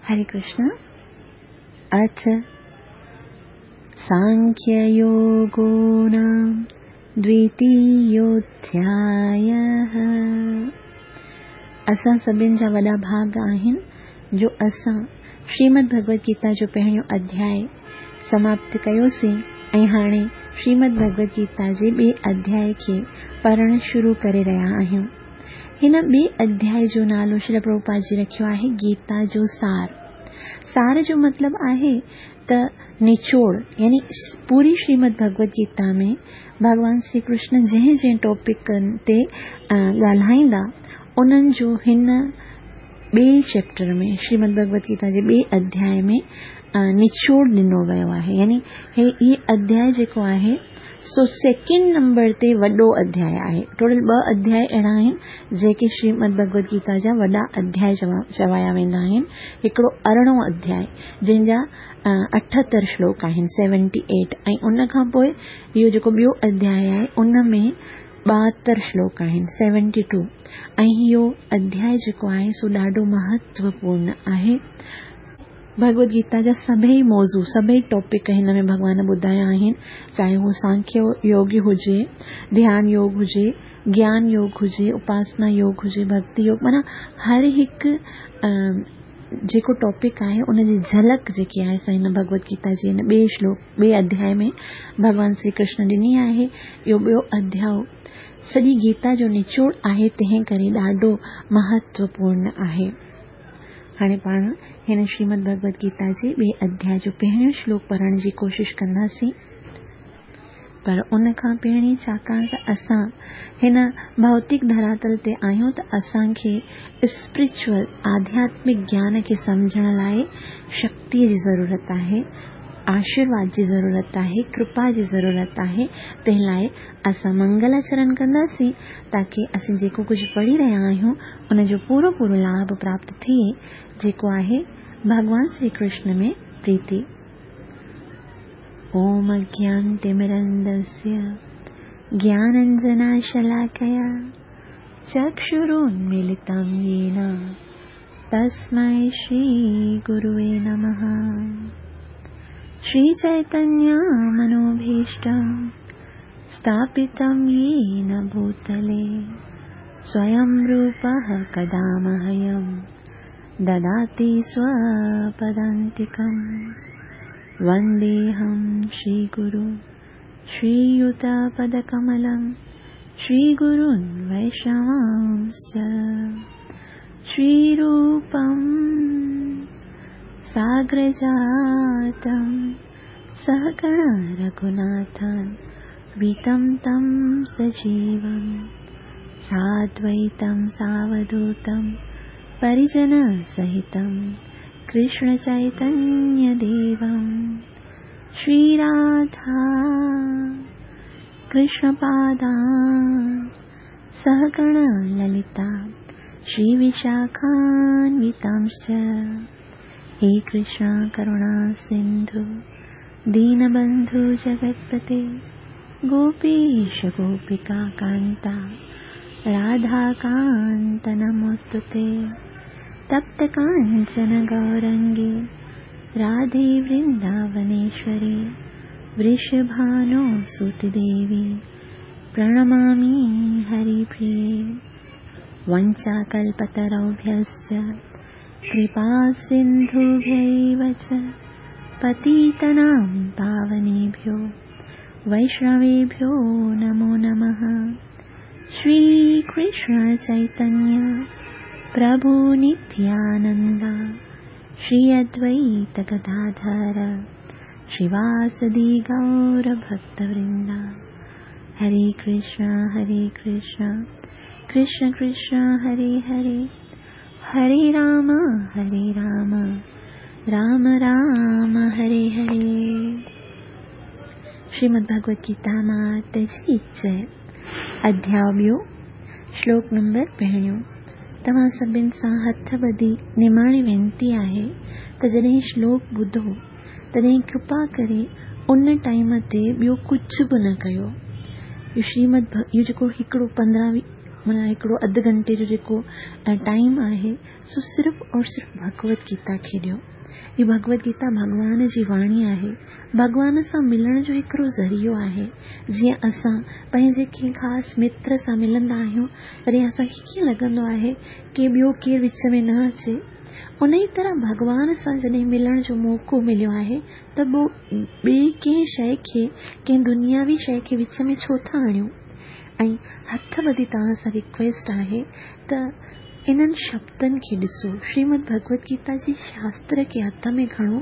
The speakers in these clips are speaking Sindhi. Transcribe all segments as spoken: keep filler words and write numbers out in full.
हरे कृष्ण। अथ सांख्ययोगो नाम द्वितीयोऽध्यायः। असां सभिनि जा वॾा भाग आहिनि जो असां श्रीमद् भगवद गीता जो पहिरियों अध्याय समाप्त कयोसीं ऐं हाणे श्रीमद् भगवद गीता जे ॿिए अध्याय खे पढ़णु शुरू करे रहिया आहियूं। हिन ॿिए अध्याय जो नालो श्री प्रभुपाद जी रखियो आहे गीता जो सार। सार जो मतिलबु आहे त निचोड़, यानी पूरी श्रीमद् भगवद गीता में भॻवान श्री कृष्ण जंहिं जंहिं टॉपिक ते ॻाल्हाईंदा उन्हनि जो हिन ॿिए चैप्टर में श्रीमद् भगवद गीता जे ॿिए अध्याय में निचोड़ ॾिनो वियो आहे। यानी हे इहो अध्याय जेको आहे सो सेकेंड नंबर ते वॾो अध्याय आहे। टोटल ॿ अध्याय अहिड़ा आहिनि जेके श्रीमद् भगवद गीता जा वॾा अध्याय चवाया वेंदा आहिनि। हिकिड़ो अरिड़हों अध्याय जंहिंजा अठहतरि श्लोक आहिनि, सेवेंटी एट, ऐं उन खां पोइ इहो जेको ॿियो अध्याय आहे उन में ॿाहतरि श्लोक आहिनि, सेवेंटी टू। ऐं इहो अध्याय जेको आहे सो ॾाढो महत्वपूर्ण आहे। भगवद गीता जा सभई मौज़ू, सभई टॉपिक हिन में भॻवान ॿुधाया आहिनि, चाहे उहो सांख्य योग हुजे, ध्यान योग हुजे, ज्ञान योग हुजे, उपासना योग हुजे, भक्ति योग, माना हर हिकु जेको टॉपिक आहे उनजी झलक जेकी आहे सा हिन भगवद गीता जे हिन ॿिए श्लोक, ॿिए अध्याय में भॻवान श्री कृष्ण ॾिनी आहे। इहो ॿियो अध्याय सॼी गीता जो निचोड़ आहे, तंहिं करे ॾाढो महत्वपूर्ण आहे। हाणे पाण हिन श्रीमद् भगवद गीता जे ॿिए अध्याय जो पहिरियों श्लोक पढ़ण जी कोशिशि कंदासीं। पर उन खां पहिरीं छाकाणि त असां हिन भौतिक धरातल ते आहियूं त असांखे स्पिरिचुअल आध्यात्मिक ज्ञान खे सम्झण लाइ शक्तीअ जी ज़रूरत आहे, आशीर्वाद जी ज़रूरत आहे, कृपा जी ज़रूरत आहे। तंहिं लाइ असां मंगलाचरण कंदासीं ताकी असीं जेको कुझु पढ़ी रहिया आहियूं उनजो पूरो पूरो लाभ प्राप्त थिए, जेको आहे भॻवान श्री कृष्ण में प्रीति। ॐ अज्ञानतिमिरन्दस्य ज्ञानाञ्जनशलाकया चक्षुरुन्मीलितं येन तस्मै श्रीगुरुवे नमः। श्रीचैतन्यमनोभीष्टं स्थापितं येन भूतले स्वयं रूपः कदा मह्यं ददाति स्वपदान्तिकम्। वन्देऽहं श्रीगुरु श्रीयुतपदकमलं श्रीगुरून् वैष्णवांश्च। श्रीरूपं साग्रजातं सहगण रघुनाथान् वितं तं सजीवं साद्वैतं सावधूतं परिजनसहितं कृष्णचैतन्यदेवं। श्रीराधा कृष्णपादान् सहगण ललिता श्रीविशाखान्वितांश्च। हे कृष्ण करुणा सिन्धु दीनबन्धु जगत्पते गोपीश गोपिका कान्ता राधाकान्त नमोऽस्तु ते। तप्त काञ्चन गौरङ्गे राधे वृन्दावनेश्वरी वृषभानुसुते देवी प्रणमामि हरिप्रिये। वञ्चाकल्पतरुभ्यश्च कृपा सिन्धुभ्यैव च पतितानां पावनेभ्यो वैष्णवेभ्यो नमो नमः। श्रीकृष्ण चैतन्य प्रभु नित्यानन्द श्री अद्वैत गदाधर श्रीवासदि गौरभक्तवृन्द। हरे कृष्ण हरे कृष्ण कृष्ण कृष्ण हरे हरे, हरे राम हरे राम राम राम हरे हरे। श्रीमद् भगवद गीता मात जी जय। अध्याय ॿियो, श्लोक नंबर पहिरियों। तव्हां सभिनि सां हथ ॿधी निमाणी विनती आहे त जॾहिं श्लोक ॿुधो तॾहिं कृपा करे उन टाइम ते ॿियो कुझु बि न कयो। इहो श्रीमद् इहो जेको हिकिड़ो पंद्रहं माना हिकिड़ो अधु घंटे जो जेको टाइम आहे सो सिर्फ़ और सिर्फ़ भगवत गीता खे ॾियो। हीअ भगवत गीता भॻवान जी वाणी आहे, भॻवान सां मिलण जो हिकिड़ो ज़रियो आहे। जीअं असां पंहिंजे कंहिं ख़ासि मित्र सां मिलंदा आहियूं तॾहिं असांखे कीअं लॻंदो आहे की ॿियो केरु विच में न अचे, उन ई तरह भॻवान सां जॾहिं मिलण जो मौक़ो मिलियो आहे त पोइ ॿिए कंहिं शइ खे, कंहिं दुनियावी शइ खे विच में छो था आणियूं। ऐं हथ ॿधी तव्हां सां रिक्वेस्ट आहे त इन्हनि शब्दनि खे ॾिसो, श्रीमद भगवत गीता जे शास्त्र खे हथ में खणो।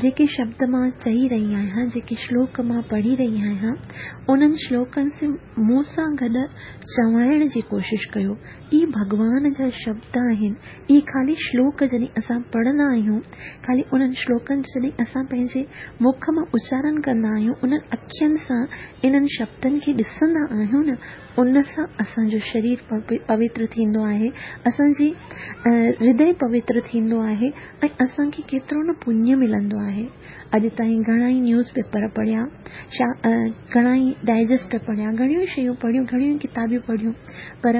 जेके शब्द मां चई रही आहियां, जेके श्लोक मां पढ़ी रही आहियां, उन्हनि श्लोकनि से मूं सां गॾु चवाइण जी कोशिशि कयो। इहे भॻवान जा शब्द आहिनि। इहे ख़ाली श्लोक जॾहिं असां पढ़ंदा आहियूं, ख़ाली उन्हनि श्लोकनि जो जॾहिं असां पंहिंजे मुख मां उचारण कंदा आहियूं, उन्हनि अखियुनि सां इन्हनि शब्दनि खे ॾिसंदा आहियूं न, उन सां असांजो शरीर पवित्र थींदो आहे, असांजी हृदय पवित्र थींदो आहे ऐं असांखे केतिरो न पुण्य मिलंदो आहे। अॼु ताईं घणा ई न्यूज़ पेपर पढ़िया, घणा ई डाइजेस्ट पढ़िया, घणियूं शयूं पढ़ियूं, घणियूं किताबियूं पढ़ियूं, पर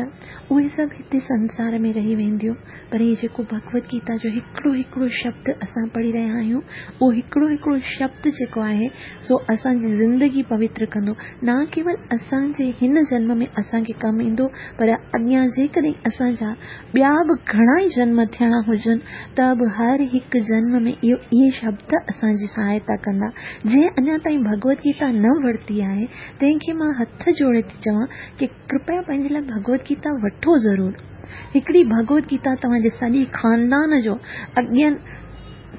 उहे सभु हिते संसार में रही वेंदियूं। पर हीउ जेको भगवत गीता जो हिकिड़ो हिकिड़ो शब्द असां पढ़ी रहिया आहियूं, उहो हिकिड़ो हिकिड़ो शब्द जेको आहे सो असांजी ज़िंदगी पवित्र कंदो। न केवल असांजे हिन जन्म में असांखे कमु ईंदो, पर अॻियां जेकॾहिं असांजा ॿिया बि घणा ई जन्म थियणा हुजनि त बि हर हिकु जन्म में इहो इहे शब्द असांजी सहायता कंदा। जंहिं अञा ताईं भगवत गीता न वरिती आहे तंहिंखे मां हथ जोड़े थी चवां की कृपया पंहिंजे लाइ भगवत गीता वठो ज़रूरु। हिकिड़ी भगवत गीता तव्हांजे सॼे ख़ानदान जो अॻियनि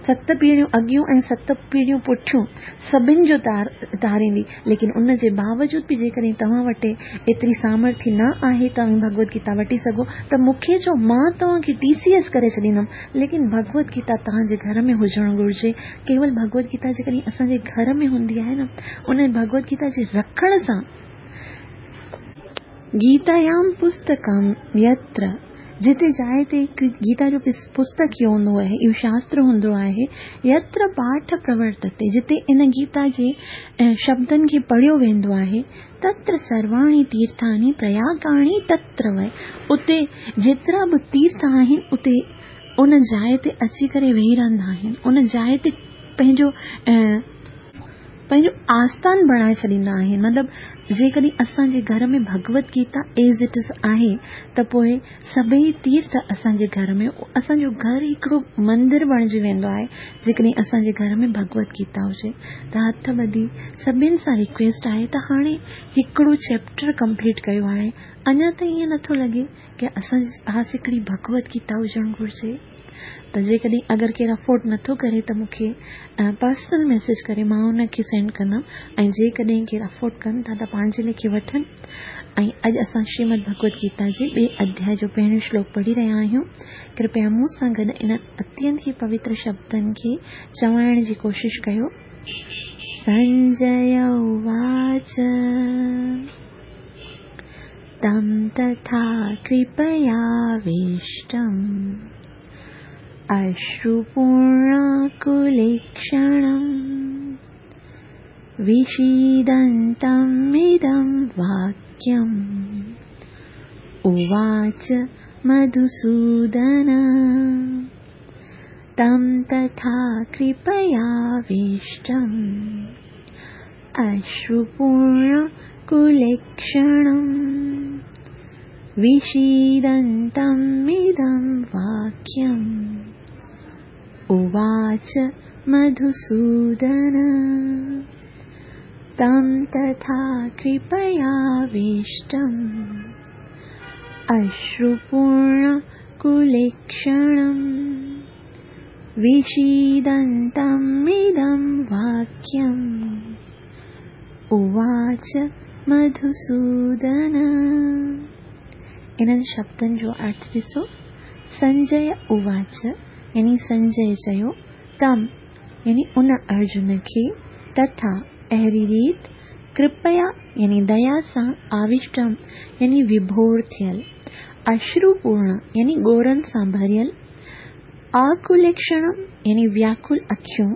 सत पीढ़ियूं अॻियूं ऐं सत पीढ़ियूं पुठियूं सभिनि जो तार तारींदी। लेकिन उन जे बावजूद बि जेकॾहिं तव्हां वटि एतिरी सामर्थ्य न आहे तव्हां भगवत गीता वठी सघो त मूंखे चओ, मां तव्हांखे टी सी एस करे छॾींदमि, लेकिन भगवत गीता तव्हांजे घर में हुजणु घुरिजे। केवल भगवत गीता जेकॾहिं असांजे घर में हूंदी आहे न, उन भगवत गीता जे रखण सां गीतायां पुस्तकं यत्र, जिते जाइ ते गीता जो पुस्तक ई हूंदो आहे, इहो शास्त्र हूंदो आहे, यत्र पाठ प्रवर्तते, जिते इन गीता जे शब्दनि खे पढ़ियो वेंदो आहे, तत्र सर्वाणि तीर्थानि प्रयागाणि तत्र वै, उते जेतिरा बि तीर्थ आहिनि उते उन जाइ ते अची करे वेही रहंदा आहिनि, उन जाइ ते पंहिंजो पंहिंजो आस्थान बणाए छॾींदा आहिनि। मतिलबु जेकॾहिं असांजे घर में Bhagavad Gita as it is आहे त पोइ सभई तीर्थ असांजे घर में, असांजो घर हिकिड़ो मंदिर बणिजी वेंदो आहे जेकॾहिं असांजे घर में भगवत गीता हुजे। त हथ ॿधी सभिनि सां रिक्वेस्ट आहे त हाणे हिकिड़ो चैप्टर कंप्लीट कयो आहे, अञा ताईं ईअं नथो लॻे की असांजे पास हिकिड़ी भगवत गीता हुजणु घुरिजे। त जेकॾहिं अगरि केरु अफोर्ड नथो करे त मूंखे पर्सनल मैसेज करे, मां उनखे सेंड कंदमि। ऐं जेकॾहिं केरु अफोर्ड कनि था त पंहिंजे लेखे वठनि। ऐं अॼु असां श्रीमद भगवत गीता जे ॿिए अध्याय जो पहिरियों श्लोक पढ़ी रहिया आहियूं। कृपया मूं सां गॾु इन अत्यंत ई पवित्र शब्दनि खे चवाइण जी कोशिशि कयो। संजय उवाच तं तथा कृपयाविष्टम् अश्रुपूर्णाकुलेक्षणं विषीदन्तम् इदं वाक्यम् उवाच मधुसूदन। तं तथा कृपयाविष्टम् अश्रुपूर्णाकुलेक्षणं विषीदन्तम् इदं वाक्यम् उवाच मधुसूदन। तं तथा कृपयाविष्टम् अश्रुपूर्णाकुलेक्षणं विषीदन्तम् इदं वाक्यम् उवाच मधुसूदन। इन्हनि शब्दनि जो अर्थ ॾिसो। संजय उवाच यानी संजय चयो, तम यानी उन अर्जुन खे, तथा अहिड़ी रीति, कृपया यानी दया सां, आविष्टम यानी विभोर थियल, अश्रुपूर्ण यानी ॻोरनि सां भरियल, आकुलेक्षणम यानी व्याकुल अखियूं,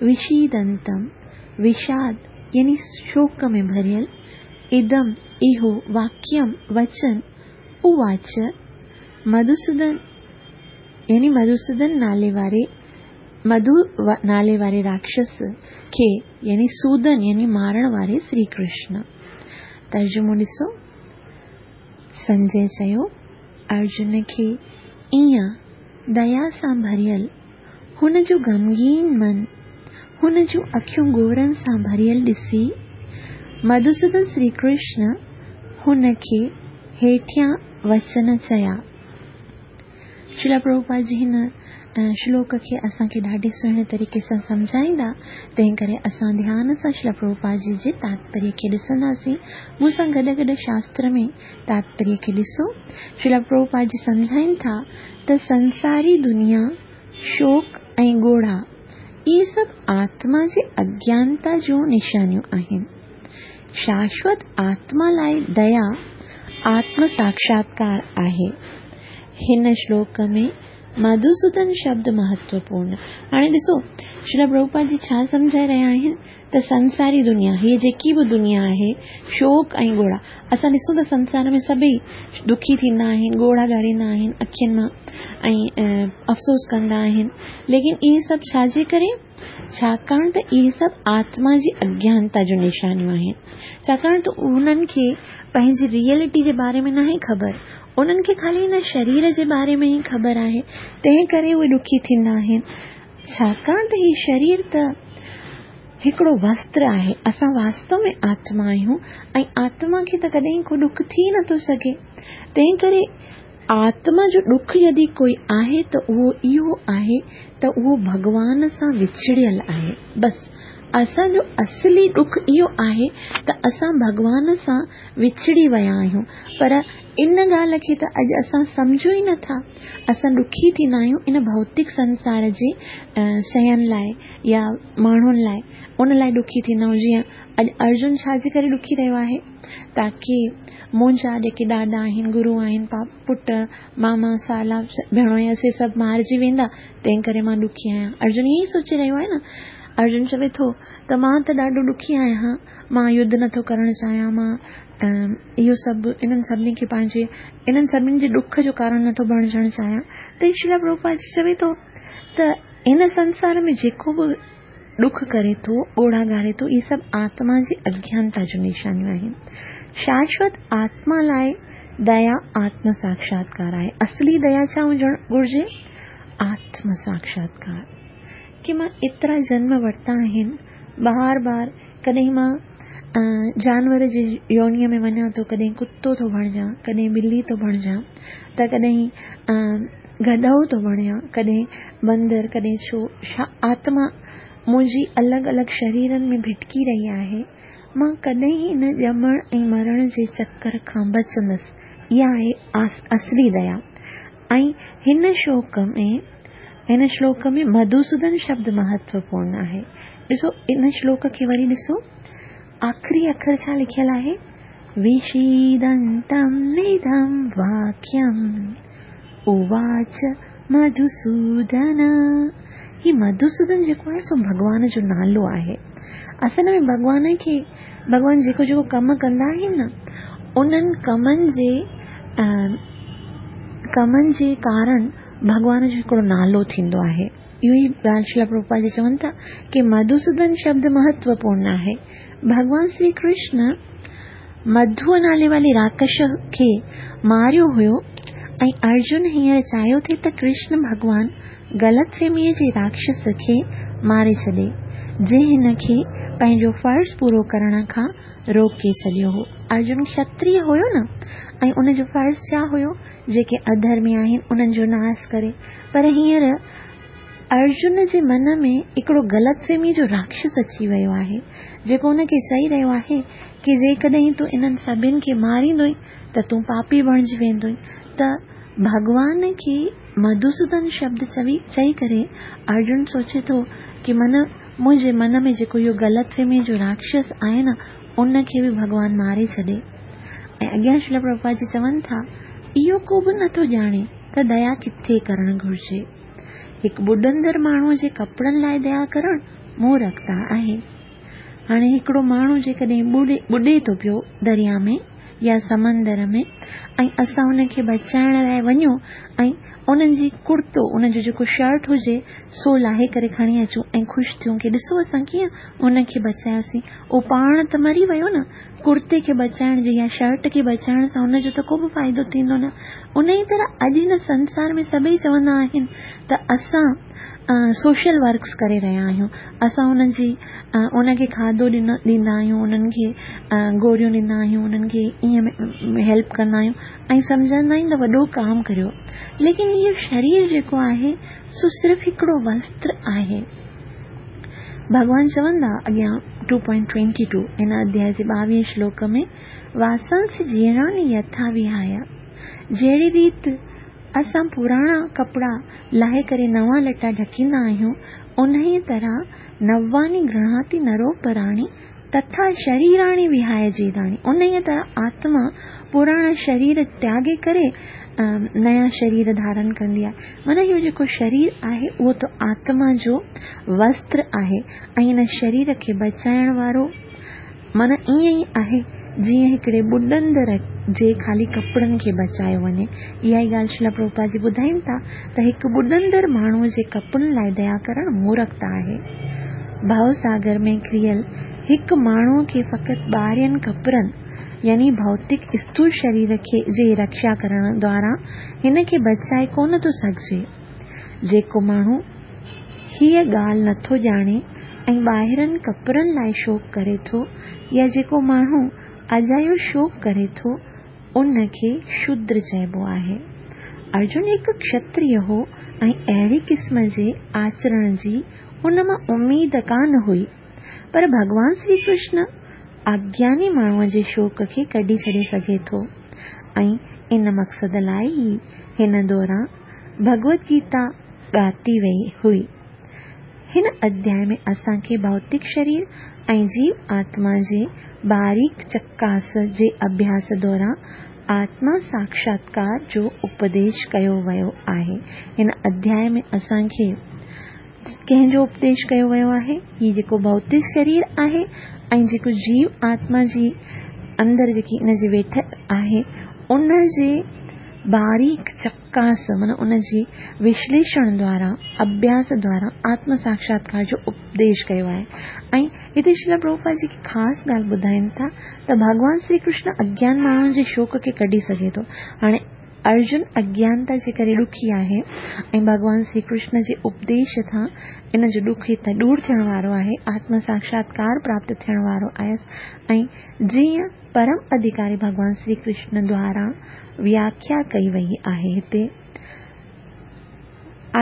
विषीदंतम विषाद यानी शोक में भरियल, इदम इहो वाक्यम वचन, उवाच मधुसूदन यानी मधुसूदन नाले वारे मधु नाले वारे राक्षस खे यानी सूदन यानी मारण वारे श्री कृष्ण। तर्जुमो ॾिसो, संजय चयो अर्जुन खे ईअं दया सां भरियल हुन जो ग़मगीन मन, हुन जूं अखियूं ॻोढ़नि सां भरियल ॾिसी मधुसूदन श्री कृष्ण हुन खे हेठियां वचन चया। श्रील प्रभुपाद जी हिन श्लोक खे असांखे ॾाढे सुहिणे तरीक़े सां सम्झाईंदा, तंहिं करे असां ध्यान सां श्रील प्रभुपाद जी जे तात्पर्य खे ॾिसंदासीं। मूंसां गॾु गॾु शास्त्र में तात्पर्य खे ॾिसो। श्रील प्रभुपाद जी सम्झाइनि था त संसारी दुनिया, शोक ऐं ॻोढ़ा इहे सभु आत्मा जे अज्ञानता जूं निशानियूं आहिनि। शाश्वत आत्मा लाइ दया आत्म साक्षात्कार आहे। हिन श्लोक में मधुसूदन शब्द महत्वपूर्ण। हाणे ॾिसो श्रील प्रभुपाद जी छा सम्झाए रहिया आहिनि त संसारी दुनिया, हीअ जेकी बि दुनिया आहे, शोक ऐं ॻोढ़ा, असां ॾिसूं त संसार में सभई दुखी थींदा आहिनि, ॻोढ़ा ॻाढ़ींदा आहिनि अखियुनि मां ऐं अफ़सोस कंदा आहिनि, लेकिन इहे सभु छाजे करे? छाकाणि त इहे सभु आत्मा जी अज्ञानता जूं निशानियूं आहिनि। छाकाणि त उन्हनि खे पंहिंजी रियलिटी जे बारे में नाहे ख़बर, उन्हनि खे ख़ाली हिन शरीर जे बारे में ई ख़बर आहे, तंहिं करे उहे ॾुखी थींदा आहिनि। छाकाणि त हीउ शरीर त हिकिड़ो वस्त्र आहे, असां वास्तव में आत्मा आहियूं ऐं आत्मा खे त कॾहिं को ॾुख थी नथो सघे। तंहिं करे आत्मा जो ॾुख यदि कोई आहे त उहो इहो आहे त उहो भॻवान सां विछड़ियल आहे। बसि असांजो असली ॾुख इहो आहे त असां भॻवान सां विछड़ी विया आहियूं, पर इन ॻाल्हि खे त अॼु असां सम्झूं ई नथा। असां ॾुखी थींदा आहियूं इन भौतिक संसार जे शयुनि लाइ या माण्हुनि लाइ, उन लाइ ॾुखी थींदा आहियूं। जीअं अॼु अर्जुन छाजे करे ॾुखी रहियो आहे? ताकी मुंहिंजा जेके ॾाॾा आहिनि, गुरू आहिनि, पुट, मामा, साला, भेणोई से सभु मारिजी वेंदा, तंहिं करे मां ॾुखी आहियां। अर्जुन ईअं ई सोचे रहियो आहे न। अर्जुन चवे थो त मां त ॾाढो ॾुखी आहियां, मां युद्ध नथो करणु चाहियां, मां इहो सभु इन्हनि सभिनी खे पंहिंजे इन्हनि सभिनी जे ॾुख जो कारण नथो बणिजणु चाहियां। त श्रील प्रभुपाद चवे थो त हिन संसार में जेको बि ॾुख करे थो, ॻोढ़ा ॻारे थो, इहे सभु आत्मा जी अज्ञानता जूं निशानियूं आहिनि। शाश्वत आत्मा लाइ दया आत्म साक्षात्कार आहे। असली दया छा हुजणु घुरिजे? आत्म साक्षात्कार। की मां एतिरा जन्म वरिता आहिनि, बार बार कॾहिं मां जानवर जे योनीअ में वञा थो, कॾहिं कुतो थो बणिजां, कॾहिं बिल्ली थो बणिजां, त कॾहिं गॾो थो बणियां, कॾहिं बंदर, कॾहिं छो। छा आत्मा मुंहिंजी अलॻि अलॻि शरीरनि में भिटकी रही आहे। मां कॾहिं हिन ॼमण ऐं मरण जे चक्कर खां बचंदसि। इहा आहे असली दया। ऐं हिन श्लोक में हिन श्लोक में मधुसूदन शब्द महत्वपूर्ण आहे। ॾिसो इन श्लोक खे वरी ॾिसो, आख़िरी अखर छा लिखियल आहे? विषीदन्तम् इदं वाक्यम् उवाच मधुसूदन। ही मधुसूदन जेको आहे सो भॻवान जो नालो आहे। असल में भॻवान खे भॻवान जेको जेको कम कंदा आहिनि न, उन्हनि कमनि जे कमनि जे कारण भॻवान जो हिकिड़ो नालो थींदो आहे। इहो ई ॻाल्हि श्रील प्रभुपाद जी चवनि था की मधुसूदन शब्द महत्वपूर्ण आहे। भॻवान श्री कृष्ण मधुअ नाले वारे राक्षस खे मारियो हुयो ऐं अर्जुन हींअर चाहियो थी त कृष्ण भॻवान ग़लतफ़हमीअ जे राक्षस खे मारे छॾे, जंहिं हिन खे पंहिंजो फ़र्ज़ पूरो करण खां रोके छॾियो हो। अर्जुन क्षत्रिय हुयो न, ऐं उनजो फ़र्ज़ छा हुयो? जेके अधर्मी आहिनि उन्हनि जो नाश करे। पर हींअर अर्जुन जे मन में हिकिड़ो ग़लतफ़हमी जो राक्षस अची वियो आहे, जेको उनखे चई रहियो आहे की जेकॾहिं तूं इन्हनि सभिनी खे मारींदो त तूं पापी बणिजी वेंदो। त भॻवान खे मधुसूदन शब्द चवी चई करे अर्जुन सोचे थो की मन मुंहिंजे मन में जेको इहो ग़लतफ़हमी जो राक्षस आहे न, उनखे बि भॻवान मारे छॾे। ऐं अॻियां श्रील प्रभुपाद जी चवनि था, इहो को बि नथो ॼाणे त दया किथे करणु घुरिजे। हिकु ॿुॾंदड़ माण्हूअ जे कपिड़नि लाइ दया करणु मूर्खता आहे। हाणे हिकिड़ो माण्हू जेकॾहिं ॿुॾे ॿुॾे थो पियो दरिया में يا سمندر ۾ ۽ اسان ان کي بچائڻ لاءِ وڃون ۽ انهن جي ڪرتو، ان جو جيڪو شرٽ هجي سو لاهي ڪري کڻي اچون ۽ خوش ٿيون ڪه ڏسو اسان ڪيئن ان کي بچايوسين. اهو پاڻ ته مري ويو نه، ڪرتي کي بچائڻ جي يا شرٽ کي بچائڻ سان ان جو ته ڪو به فائدو ٿيندو نه. ان ئي طرح اڄ هن سنسار ۾ سڀئي چوندا آهن ته اسان سوشل ورڪس ڪري رهيا آهيون، اسان انهن جي ان کي کاڌو ڏيندا آهيون، انهن کي گوريون ڏيندا آهيون، انهن کي ائين هيلپ ڪندا آهيون ۽ سمجهندا آهيون ته وڏو ڪام ڪريو. ليڪن اهو شرير جيڪو آهي سو صرف هڪڙو وستر آهي. ڀڳوان چوندا اڳيان ٽو پوائنٽ ٽوئنٽي ٽو هن اڌياء جي ٻاويهه شلوڪ ۾ واسانسي جيرڻاني يٿا وهايا، جهڙي ريت اسان پراڻا ڪپڙا لاهي ڪري نوان لٽا ڍڪيندا آهيون، انهيء طرح نواني گرهڻاتي نروپراڻي تٿا شريراڻي وهاي جيراڻي، انهيء طرح آتما پراڻا شرير تياڳي ڪري نيا شرير ڌارن ڪندي آهي. معنيٰ اهو جيڪو شرير آهي اهو ته آتما جو وستر آهي ۽ ان شرير کي بچائڻ وارو معنيٰ ائين ئي آهي جيئن هڪڙي ٻڏندڙ جي خالي ڪپڙن کي بچايو وڃي. اها ئي ڳالهه شريلا پرڀوپاد جي ٻڌائين ٿا ته هڪ ٻڏندڙ ماڻهوءَ جي ڪپڙن لاءِ ديا ڪرڻ مورکتا آهي. ڀؤ ساگر ۾ ڪريل هڪ ماڻهوءَ کي فقط ٻاهرين ڪپڙن يعني ڀوتڪ اسٿول شرير کي جي رڪشا ڪرڻ دوارا هن کي بچائي ڪونه ٿو سگهجي. جيڪو ماڻهو هيءَ ڳالهه نٿو ڄاڻي ۽ ٻاهرين ڪپڙن لاءِ شوڪ ڪري ٿو يا جيڪو ماڻهو اجايو شوڪ ڪري ٿو ان کي شودر چئبو آهي. ارجن هڪ ڪشتريه هو ۽ اهڙي قسم جي آچرڻ جي هن مان اميد ڪانه هئي، پر ڀڳوان شري ڪرشن اگياني ماڻهوءَ جي شوڪ کي ڪڍي ڇڏي سگهي ٿو ۽ ان مقصد لاءِ ئي هن دوران ڀڳوت گيتا ڳاتي وئي هئي. هن اڌياءِ ۾ اسان کي ڀوتڪ شرير ۽ جيو آتما جي باريڪ چڪاس جي اڀياس دوران آتما ساڪشاتڪار جو اپديش ڪيو ويو آهي. هن اڌياءِ ۾ اسان کي ڪنهن جو اپديش ڪيو ويو آهي؟ هي جيڪو ڀوتڪ شرير آهي ۽ جيڪو جيو آتما جي اندر جيڪي ان جي ويٺ آهي ان جي باريڪ چڪاس معنيٰ ان جي وشليشڻ دوارا اڀياس دوارا آتم ساڪشاتڪار جو اپديش ڪيو آهي. ۽ هتي شريلا پرڀوپاد جيڪي خاص ڳالهه ٻڌائين ٿا ته ڀڳوان شري ڪرشن اگيان ماڻهن جي شوڪ کي ڪڍي سگهي ٿو. هاڻي ارجن اگيانتا جي ڪري ڏکي آهي ۽ ڀڳوان شري ڪرشن جي اپديش سان ان جو ڏک هتان دور ٿيڻ وارو آهي، آتم ساڪشاتڪار پراپت ٿيڻ وارو آهي. ۽ جيئن پرم اڌڪاري ڀڳوان شري ڪرشن دوارا وياکيا ڪئي وئي آهي، هتي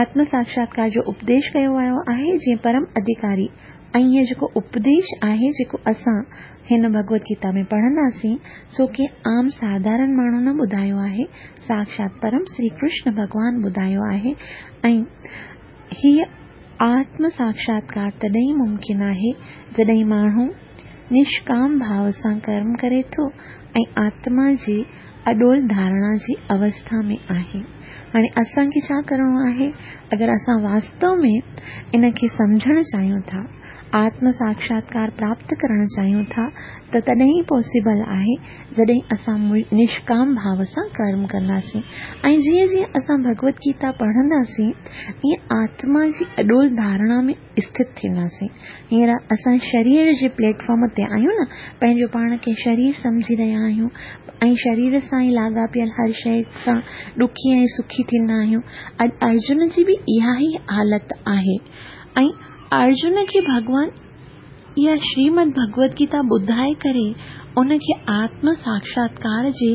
آتم ساڪشاتڪار جو اپديش ڪيو ويو آهي جيئن پرم اڌڪاري. ۽ اهو جيڪو اپديش آهي جيڪو اسان هن ڀڳوت گيتا ۾ پڙهنداسين سو ڪنهن عام ساڌارڻ ماڻهو نه ٻڌايو آهي، ساڪشات پرم شري ڪرشن ڀڳوان ٻڌايو آهي. ۽ هيءَ آتم ساڪشاتڪار تڏهن ئي ممڪن آهي جڏهن ماڻهو نشڪام ڀاو سان ڪرم ڪري ٿو ۽ آتما جي اڏول ڌارڻا جي اوسٿا ۾ آهي. هاڻي اسان کي ڇا ڪرڻو آهي؟ اگر اسان واستو ۾ ان کي سمجهڻ چاهيون ٿا، آتم ساڪشاتڪار پراپت ڪرڻ چاهيون ٿا ته تڏهن ئي پاسيبل آهي جڏهن اسان نشڪام ڀاو سان ڪرم ڪنداسين. ۽ جيئن جيئن اسان ڀڳوت گيتا پڙهنداسين ائين آتما جي اڏول ڌارڻا ۾ اسٿت ٿينداسين. هينئر اسان شرير جي پليٽ فارم تي آهيون نه، پنهنجو پاڻ کي شرير سمجهي رهيا آهيون ۽ شرير سان ئي لاڳاپيل هر شيءِ سان ڏکي ۽ سکي ٿيندا آهيون. اڄ ارجن جي به اها ئي حالت آهي ۽ ارجن کي ڀڳوان اها شريمد ڀڳوت گيتا ٻڌائي ڪري ان کي آتم ساڪشاتڪار جي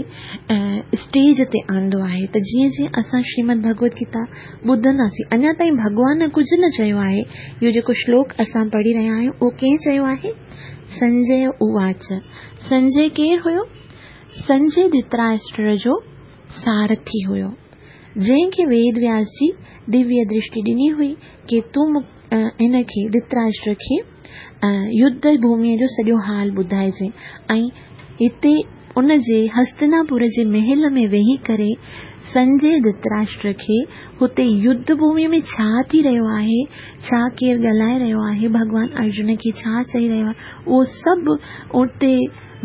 اسٽيج تي آندو آهي. ته جيئن جيئن اسان شريمد ڀڳوت گيتا ٻڌنداسين، اڃا تائين ڀڳوان ڪجهه نه چيو آهي. اهو جيڪو شلوڪ اسان پڙهي رهيا آهيون اهو ڪنهن چيو آهي؟ سنجي اواچ. سنجي ڪير هيو؟ سنجي ڌرتراشٽر جو سارٿي هيو، جنهن کي ويد وياس جي دويه درشٽي ڏني هئي ڪه تون هن کي ڌرتراشٽر کي يڌ ڀوميءَ جو سڄو حال ٻڌائجي. ۽ هتي ان جي هستناپور جي محل ۾ ويهي ڪري سنجي ڌرتراشٽر کي هتي يڌ ڀوميءَ ۾ ڇا ٿي رهيو آهي، ڇا ڪير ڳالهائي رهيو آهي، ڀڳوان ارجن کي ڇا چئي رهيو آهي، اهو سڀ اتي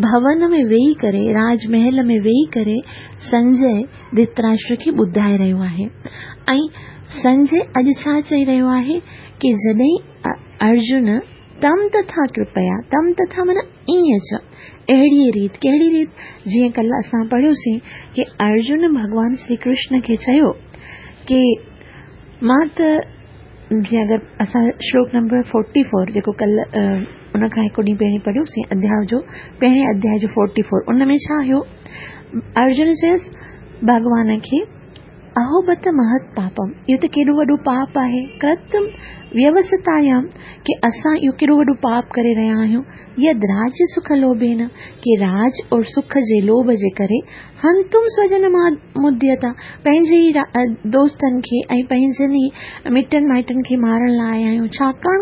ڀون ۾ ويهي ڪري، راج محل ۾ ويهي ڪري سنجي ڌرتراشٽر کي ٻڌائي رهيو آهي. ۽ سنجي اڄ ڇا چئي رهيو آهي ڪه جڏهن ارجن تم تٿا ڪرپيا، تم تٿا معنيٰ ائين چ، اهڙيء ريت، ڪهڙي ريت؟ جيئن ڪلهه اسان پڙهيوسين ڪه ارجن ڀڳوان شري ڪرشن کي چيو ڪه مان ته جيئن اگر اسان شلوڪ نمبر فورٽي فور جيڪو ڪلهه ان کان هڪ ڏينهن پهرين پڙهيوسين، اڌياء جو پهرين اڌياء جو فورٽي فور، ان ۾ ڇا هيو؟ ارجن چيس ڀڳوان کي، اهو بت مهت پاپم، اهو ته ڪيڏو وڏو پاپ آهي، ڪرتم ويوستايام، ڪه اسان اهو ڪيڏو وڏو پاپ ڪري رهيا آهيون، يد راج سک لوڀين، ڪه راج اور سک جي لوڀ جي ڪري هنتم سوجن مديتا، پنهنجي ئي دوستن کي ۽ پنهنجن ئي مٽن مائٽن کي مارڻ لاءِ آيا آهيون، ڇاڪاڻ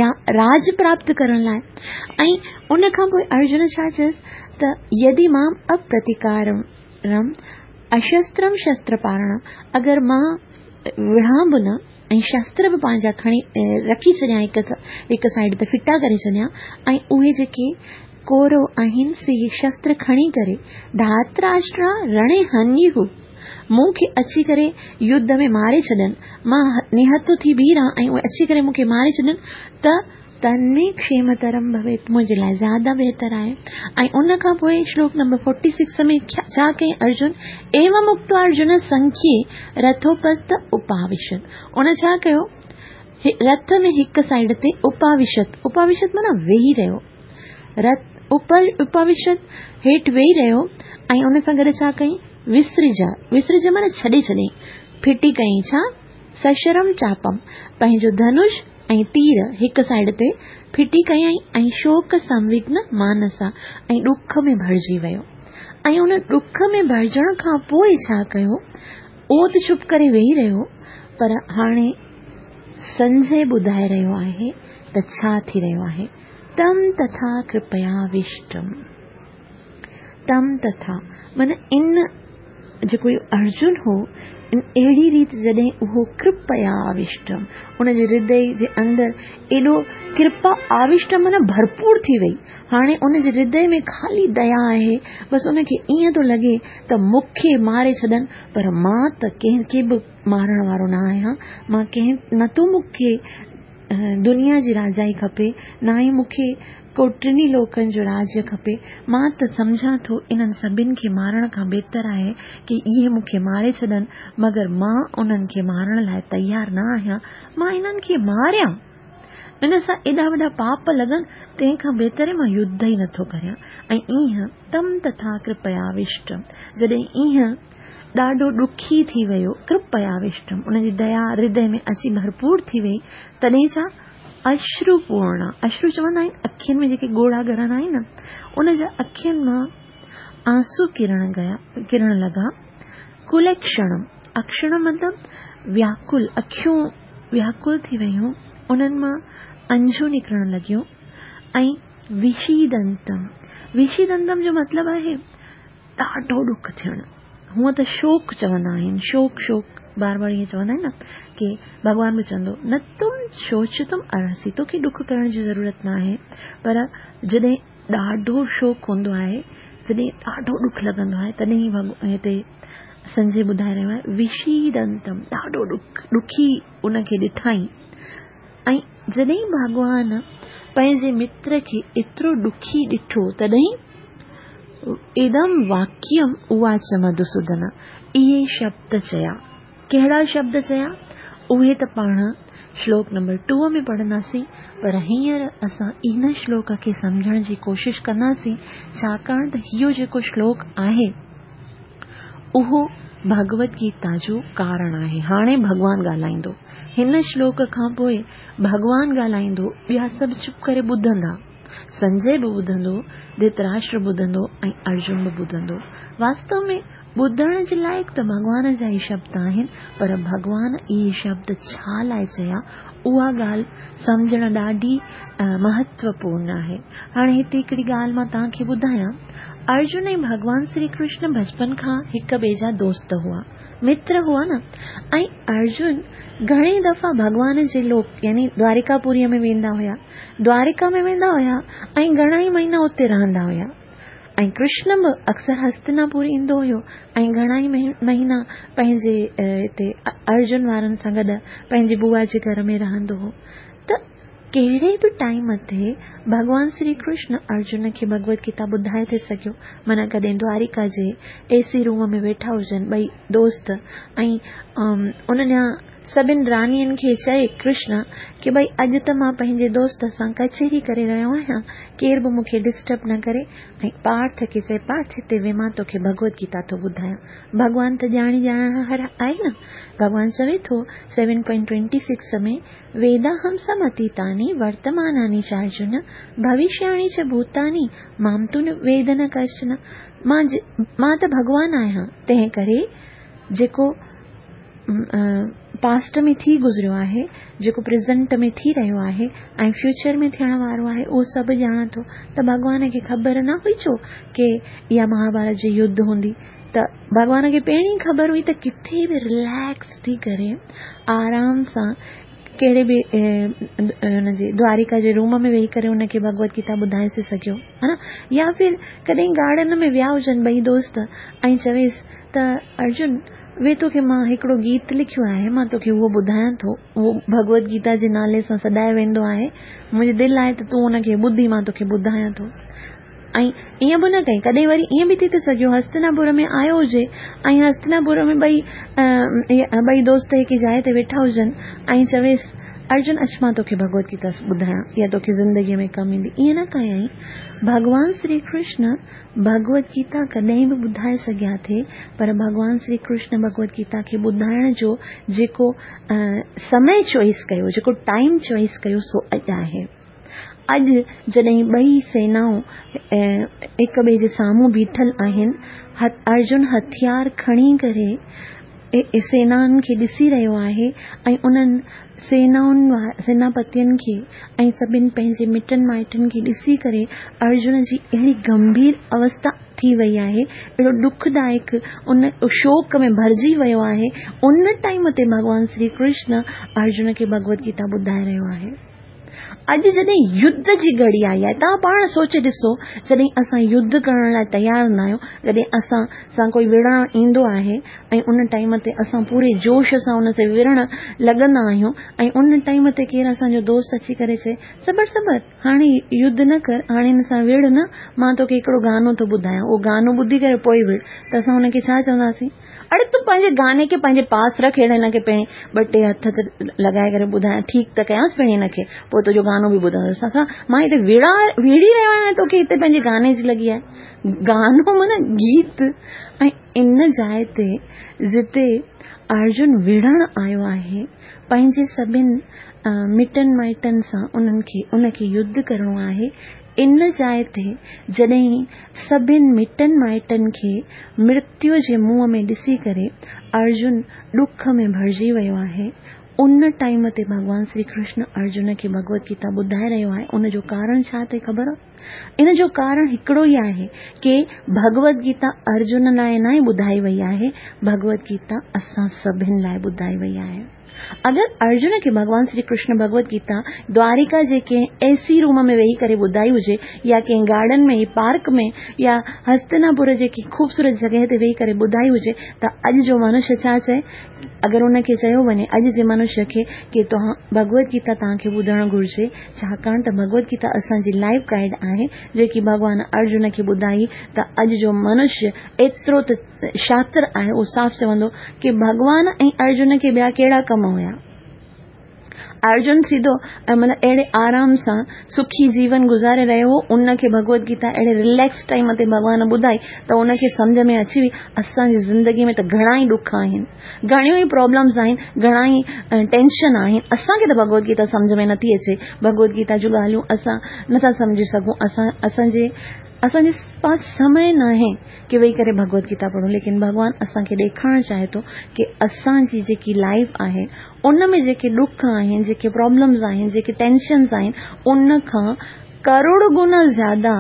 يا راج پراپت ڪرڻ لاءِ. ۽ ان کان پوءِ ارجن ڇا چيس ته يدي مام اپرتيڪارم اشسترم شستر پارڻ، اگر مان وڙهان به نه ۽ شستر به پنهنجا کڻي رکي ڇڏيان، هڪ هڪ سائيڊ تي ڦٽا ڪري ڇڏيان، ۽ اهي جيڪي ڪورو آهن سي شستر کڻي ڪري ڌاتراشٽرا رڻي هنيهو، مون کي اچي ڪري يڌ ۾ ماري ڇڏن، مان نهتو ٿي بيهه رهان ۽ اهي اچي ڪري مون کي ماري ڇڏن ته تنمي ڪشيمترم ڀويت، منهنجي لاءِ زياده بهتر آهي. ۽ ان کان پوءِ شلوڪ نمبر فورٽي سڪس ۾ ڇا ڪيائين ارجن؟ ايوم اڪتو ارجن سنکيي رٿوپست اپاوشت، ان ڇا ڪيو؟ رٿ ۾ هڪ سائيڊ تي اپاوشت، اپاوشت معنيٰ ويهي رهيو، رٿ اپاوشت هيٺ ويهي رهيو ۽ ان سان گڏ ڇا ڪيائين؟ وسرج، وسرج معنيٰ ڇڏي ڇڏيائين، ڦٽي ڪيائين ڇا؟ سشرم چاپم، پنهنجو ڌنش ۽ تير هڪ سائيڊ تي ڦٽي ڪيائين ۽ شوڪ سنوگن مانسا، ۽ ڏک ۾ ڀرجي ويو. ۽ ان ڏک ۾ ڀرجڻ کان پوءِ ڇا ڪيو؟ اهو ته چپ ڪري ويهي رهيو، پر هاڻي سنجي ٻڌائي رهيو آهي ته ڇا ٿي رهيو آهي. تم تٿا ڪرپيا وشٽم، تم تٿا معنيٰ ان جيڪو اهو ارجن هو، ان اهڙي ريت جڏهن اهو ڪرپيا آوشٽم، ان جي هردي جي اندر ايڏو ڪرپا آوشٽم معنيٰ ڀرپور ٿي وئي. هاڻي ان جي هردي ۾ خالي ديا آهي، بس ان کي ائين ٿو لڳي ته مون کي ماري ڇڏن، پر مان ته ڪنهن کي به مارڻ وارو نه آهيان، مان ڪنهن نه ٿو مون کي دنيا جي راجائي کپي، نه ئي مون کي ڪو ٽنهي لوڪن جو راجيه کپي، مان ته سمجهان ٿو انهن سڀني کي مارڻ کان بهتر آهي ڪه اهي مون کي ماري ڇڏن، مگر مان انهن کي مارڻ لاءِ تيار نه آهيان، مان انهن کي ماريان ان سان ايڏا وڏا پاپ لڳن، تنهن کان بهتر مان يڌ ئي نٿو ڪريان. ۽ ائين تم تٿا ڪرپيا وشٽم، جڏهن ائين ڏاڍو ڏکي ٿي ويو، ڪرپيا وشٽم، ان جي ديا هردي ۾ اچي ڀرپور ٿي وئي، تڏهن ڇا؟ اشروپورڻ، اشرو چوندا آهن اکين ۾ جيڪي ڳوڙها ڳرندا آهن نه، ان جا اکين مان آنسو ڪرڻ گيا، ڪرڻ لڳا. ڪلڪشڻم، اڪشڻ مطلب وياڪل، اکيون وياڪل ٿي ويون، انهن مان انجون نڪرڻ لڳيون. ۽ وشيدنتم، وشيدنتم جو مطلب آهي ڏاڍو ڏک ٿيڻ. هونئن ته شوڪ چوندا آهن، شوڪ شوڪ بار بار ائين چوندا آهن نه ڪه ڀڳوان به چوندو نه تم شوچتم ارهسي، توکي ڏک ڪرڻ جي ضرورت نه آهي. پر جڏهن ڏاڍو شوڪ هوندو آهي، جڏهن ڏاڍو ڏک لڳندو آهي، تڏهن هتي سنجي ٻڌائي رهيو آهي وشيدنتم، ڏاڍو ڏک ڏکي ان کي ڏٺائين. ۽ جڏهن ڀڳوان پنهنجي متر کي ايترو ڏکي ڏٺو، تڏهن ادم واڪيم اواچ مڌوسودن، اهي شبد چيا. ڪهڙا شبد چيا؟ اهي ته پاڻ شلوڪ نمبر ٽو ۾ پڙهنداسين، پر هينئر اسان ان شلوڪ کي سمجهڻ جي ڪوشش ڪنداسين، ڇاڪاڻ ته اهو جيڪو شلوڪ آهي اهو ڀڳوت گيتا جو ڪارڻ آهي. هاڻي ڀڳوان ڳالهائيندو، هن شلوڪ کان پوءِ ڀڳوان ڳالهائيندو، ٻيا سڀ چپ ڪري ٻڌندا، سنجي به ٻڌندو، ڌرتراشٽر ٻڌندو ۽ ارجن به ٻڌندو. واستو ۾ ٻڌڻ جي لائق ته ڀڳوان جا ئي شبد آهن، پر ڀڳوان اهي شبد ڇا لاءِ چيا، اها ڳالهه سمجهڻ ڏاڍي مهتوپورڻ آهي. هاڻي هتي هڪڙي ڳالهه مان توهان کي ٻڌايان. ارجن ۽ ڀڳوان شري ڪرشن بچپن کان هڪ ٻئي جا دوست هئا، متر هئا نه. ۽ ارجن گهڻي دفعا ڀڳوان جي لوڪ يعني دوارڪاپوريءَ ۾ ويندا هئا، دوارڪا ۾ ويندا هئا ۽ گهڻا ئي مهينا اتي رهندا هئا. ۽ ڪرشن به اڪثر هستناپور ايندو هيو ۽ گهڻا ئي مهينا پنهنجي هتي ارجن وارن سان گڏ پنهنجي بوا جي گهر ۾ رهندو هو. ته ڪهڙي به ٽائيم تي ڀڳوان شري ڪرشن ارجن کي ڀڳوت گيتا ٻڌائي ٿي سگهيو. معنيٰ ڪڏهن دوارڪا جي اي سي روم ۾ ويٺا هجن ٻئي دوست ۽ ان ڏانهن سڀني راڻين کي چئي ڪرشن ڪه ڀئي اڄ ته مان پنهنجي دوست سان ڪچهري ڪري رهيو آهيان، ڪير به مون کي ڊسٽرب نه ڪري. ۽ پارٿ کي چئي، پارٿ هتي ويهه، مان توکي ڀڳوت گيتا ٿو ٻڌايان. ڀڳوان ته ڄاڻي ڄاڻڻهار آهي نه. ڀڳوان چوي ٿو سيون پوائنٽ ٽوئنٽي سڪس ۾ ويداهم سمتيتاني ورتماناني چارجن ڀوشياڻي چ ڀوتاني مام تو ويد نه ڪشچن. مان مان ته ڀڳوان آهيان، تنهن ڪري جيڪو پاسٽ ۾ ٿي گذريو آهي، جيڪو پريزنٽ ۾ ٿي رهيو آهي ۽ فيوچر ۾ ٿيڻ وارو آهي، اهو سڀ ڄاڻان ٿو. ته ڀڳوان کي خبر نه هئي ڇو ڪي اها مهاڀارت جي يڌ هوندي؟ ته ڀڳوان کي پهرين ئي خبر هئي ته ڪٿي به رليڪس ٿي ڪري آرام سان ڪهڙي به هن جي دوارڪا جي روم ۾ ويهي ڪري هن کي ڀڳوت گيتا ٻڌائي ٿي سگهيو، ها نه؟ يا ڦر ڪڏهن گارڊن ۾ ويا هجن ٻئي دوست ۽ چويس ته ارجن وي توکي مان هڪڙو گيت لکيو آهي، مان توکي اهو ٻڌايان ٿو، اهو ڀڳوت گيتا جي نالي سان سڏايو ويندو آهي، منهنجي دل آهي ته تون ان کي ٻڌي، مان توکي ٻڌايان ٿو. ۽ ائين به نه ڪئي. ڪڏهن وري ائين به ٿي ٿو سگهيو هستناپور ۾ آيو هجي ۽ هستناپور ۾ ٻئي ٻئي دوست هڪ جاء تي ويٺا هجن ۽ چويس ارجن اچ مان توکي ڀڳوت گيتا ٻڌايان، اها توکي زندگيء ۾ ڪم ايندي. ائين نه ڪيائين. ڀڳوان شري ڪرشن ڀڳوت گيتا ڪڏهن به ٻڌائي سگهيا ٿي، پر ڀڳوان شري ڪرشن ڀڳوت گيتا کي ٻڌائڻ جو جيڪو سمي چوائس ڪيو، جيڪو ٽائيم چوائس ڪيو، سو اڄ آهي. اڄ جڏهن ٻئي سينائون هڪ ٻئي جي سامهون بيٺل آهن، ارجن هٿيار کڻي ڪري سينائن کي ڏسي رهيو آهي ۽ انهن سينائن سيناپتين کي ۽ سڀني پنهنجي مٽن مائٽن کي ڏسي ڪري ارجن جي اهڙي گنڀير اوسٿا ٿي وئي آهي، اهڙو ڏکدائڪ ان شوڪ ۾ ڀرجي ويو آهي. ان ٽائيم تي ڀڳوان شري ڪرشن ارجن کي ڀڳوت گيتا ٻڌائي رهيو آهي. اڄ جڏهن يڌ جي گهڙي آئي آهي، توهان پاڻ سوچي ڏسو، جڏهن اسان يڌ ڪرڻ لاءِ تيار هوندا آهيون، جڏهن اسان سان ڪوئي وڙهڻ ايندو آهي ۽ ان ٽائيم تي اسان پوري جوش سان ان سان وڙهڻ لڳندا آهيون، ۽ ان ٽائيم تي ڪير اسان جو دوست اچي ڪري چئي صبر صبر، هاڻي يڌ نه ڪر، هاڻي هن سان وڙهه نه، مان توکي هڪڙو گانو ٿو ٻڌايان، اهو گانو ٻڌي ڪري پوءِ وڙهه، ته اسان هن کي ڇا چونداسين؟ اڙي تون پنهنجي گاني کي پنهنجي پاس رک، هيڏي هن کي پهرين ٻه ٽي هٿ ته لڳائي ڪري ٻڌايان، ٺيڪ ته ڪيانس پهرين هن کي، پوءِ تنهنجو گانو به ٻڌندس. اسان مان هتي وڙهان وڙهي رهيو آهيان، توکي هتي پنهنجي گاني جي لڳي آهي. گانو معنيٰ گيت. ۽ ان جاءِ تي جتي ارجن وڙهڻ آيو آهي، پنهنجي سڀني مٽن مائٽن سان انهن کي ان کي يڌ ڪرڻو آهي، ان جاءِ تي جڏهن سڀني مٽن مائٽن کي مرتيو جي منهن ۾ ڏسي ڪري ارجن ڏک ۾ ڀرجي ويو آهي، ان ٽائيم تي ڀڳوان شري ڪرشن ارجن کي ڀڳوت گيتا ٻڌائي رهيو آهي. ان جو ڪارڻ ڇا اٿئي خبر؟ ان جو ڪارڻ هڪڙو ئي آهي ڪه ڀڳوت گيتا ارجن لاءِ نه ٻڌائي وئي آهي، ڀڳوت گيتا اسان سڀني لاءِ ٻڌائي وئي آهي. اگر ارجن کي ڀڳوان شري ڪرشن ڀڳوت گيتا دوارڪا جي ڪنهن اي سي روم ۾ ويهي ڪري ٻڌائي هجي، يا ڪنهن گارڊن ۾ پارڪ ۾ يا هستناپور جي ڪنهن خوبصورت جڳهه تي ويهي ڪري ٻڌائي هجي، ته اڄ جو منشيه ڇا چئي؟ اگر ان کي چيو وڃي اڄ جي منشيه کي ڪه توهان ڀڳوت گيتا توهان کي ٻڌڻ گهرجي، ڇاڪاڻ ته ڀڳوت گيتا اسان جي لائيف گائيڊ آهي، جيڪي ڀڳوان ارجن کي ٻڌائي، ته اڄ جو منشيه ايترو ته شاتر آهي، اهو صاف چوندو ڪه ڀڳوان ۽ ارجن کي ٻيا ڪهڙا ڪم هيا؟ ارجن سڌو مطلب اهڙي آرام سان سکي جيون گذاري رهيو هو، ان کي ڀڳوت گيتا اهڙي رليڪس ٽائيم تي ڀڳوان ٻڌائي ته ان کي سمجهه ۾ اچي وئي. اسان جي زندگي ۾ ته گهڻا ئي ڏک آهن، گهڻيون ئي پرابلمس آهن، گهڻا ئي ٽينشن آهن، اسان کي ته ڀڳوت گيتا سمجهه ۾ نٿي اچي، ڀڳوت گيتا جون ڳالهيون اسان نٿا سمجهي سگهون، اسان اسان جي اسان جي پاس سمي نه آهي ڪه ويهي ڪري ڀڳوت گيتا پڙهون. ليڪن ڀڳوان اسان کي ڏيکارڻ چاهي ٿو ڪه اسان جي جيڪي لائيف آهي، ان ۾ جيڪي ڏک آهن، جيڪي پرابلمس آهن، جيڪي ٽينشنس آهن، ان کان ڪروڙ گنا زياده